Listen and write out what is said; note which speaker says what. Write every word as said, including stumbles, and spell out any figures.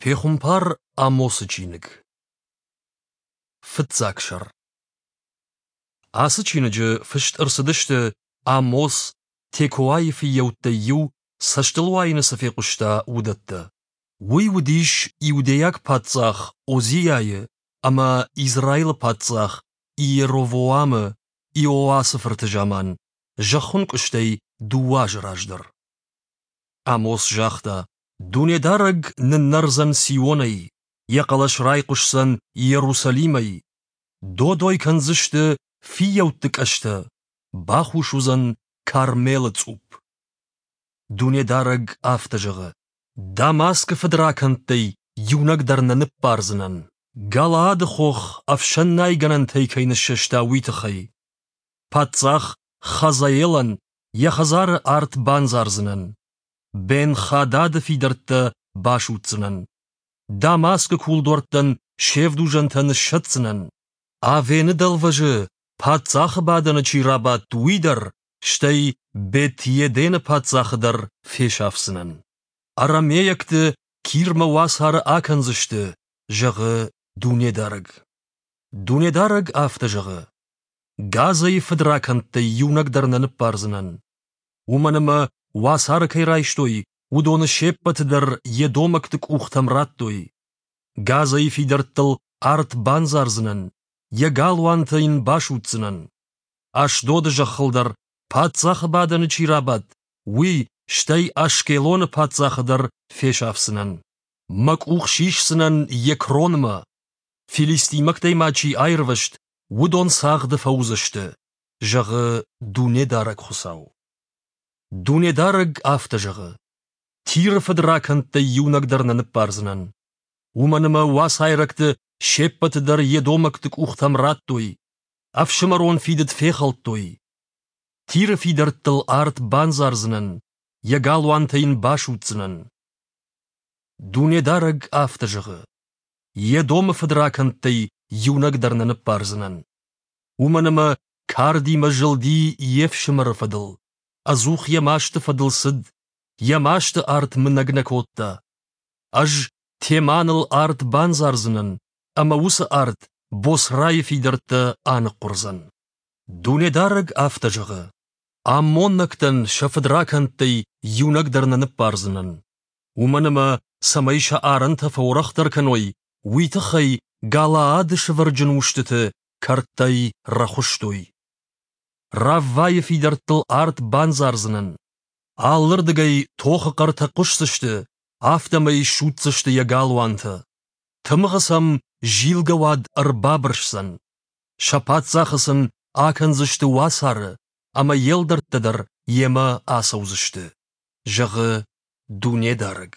Speaker 1: Пехуымпар Амосы чиныг. Фыццаг сӕр. Ацы чиныджы фыст ӕрцыдысты, Амос, Текоайы фыййӕуттӕй иу, цӕстылуайыны цы фехъуыста, уыдӕттӕ. Уый уыдис иудейаг паддзах Озиайы ӕмӕ Израилы паддзах Иеровоамы, Иоасы фырты заман, зӕххынкъуыстӕй дыууӕ азы раздӕр. Амос загъта: Дунедарӕг ныннӕрдзӕн Сионӕй, Йӕ хъӕлӕс райхъуысдзӕн Иерусалимӕй. Додой кӕндзысты фыййӕутты къӕстӕ, бахус уыдзӕн Кармелы цъупп. Дунедарӕг афтӕ зӕгъы: Дамаскы фыдракӕндтӕй иунӕг дӕр нӕ ныббардзынӕн, Галаады хох ӕфсӕннайгӕнӕнтӕй кӕй ныссӕста, уый тыххӕй. Паддзах Хазаелӕн йӕ хӕдзары арт бандзардзынӕн. Бен-Хадады фидӕрттӕ басудздзынӕн. Дамаскы кулдуӕрттӕн се вдузӕнтӕ ныссӕтдзынӕн. Авены дӕлвӕзы паддзахы бадӕны чи рабадт, уый дӕр, стӕй Бет-Едены паддзахы дӕр фесафдзынӕн. Арамейӕгты Кирмӕ уацары акӕндзысты, зӕгъы Дунедарӕг. Дунедарӕг афтӕ зӕгъы: Газӕйы фыдракӕндтӕй иунӕг дӕр нӕ ныббардзынӕн. Уымӕн ӕмӕ уацары кӕй райстой, уыдоны се ппӕты дӕр едомӕгты къухтӕм радтой. Газӕйы фидӕрттыл арт бандзардзынӕн, йӕ галуантӕ йын басудздзынӕн. Ашдоды зӕххыл дӕр паддзахы бадӕны чи рабадт, уый, стӕй Ашкелоны паддзахы дӕр фесафдзынӕн. Мӕ къух сисдзынӕн Екронмӕ. Филистимӕгтӕй ма чи аирвӕзт, уыдон цагъды фӕуыдзысты, зӕгъы Дунедарӕг Хуыцау. Дунедарӕг афтӕ зӕгъы: Тиры фыдракӕндтӕй иунӕг дӕр нӕ ныббардзынӕн. Уымӕн ӕмӕ уацайрӕгты се ппӕты дӕр едомӕгты къухтӕм радтой, ӕфсымӕрон фидыд фехӕлдтой. Тиры фидӕрттыл арт бандзардзынӕн, йӕ галуантӕ йын басудздзынӕн. Дунедарӕг афтӕ зӕгъы: Едомы фыдракӕндтӕй иунӕг дӕр нӕ ныббардзынӕн. Уымӕн ӕмӕ кардимӕ зылди йе фсымӕры фӕдыл, ӕдзух йӕ масты фӕдыл цыд, йӕ масты арт мынӕг нӕ кодта. Ӕз Теманыл арт бандзардзынӕн, ӕмӕ уыцы арт Боцрайы фидӕрттӕ аныхъхъуырдзӕн. Дунедарӕг афтӕ зӕгъы: Аммонӕгтӕн сӕ фыдракӕндтӕй иунӕг дӕр нӕ ныббардзынӕн. Уымӕн ӕмӕ, цӕмӕй сӕ арӕнтӕ фӕуӕрӕхдӕр кӕной, уый тыххӕй Галаады сывӕрджын устыты кӕрдтӕй рӕхуыстой. Раввайы фидӕрттыл арт бандзардзынӕн. Алырдыгӕй тохы хъӕртӕ хъуысдзысты, афтӕмӕй судздзысты йӕ галуантӕ. Тымыгъы сӕм зилгӕ уад ӕрбабырсдзӕн. Сӕ паддзахы сын акӕндзысты уацары, ӕмӕ йе лдӕрттӕ дӕр йемӕ ацӕудзысты, зӕгъы Дунедарӕг.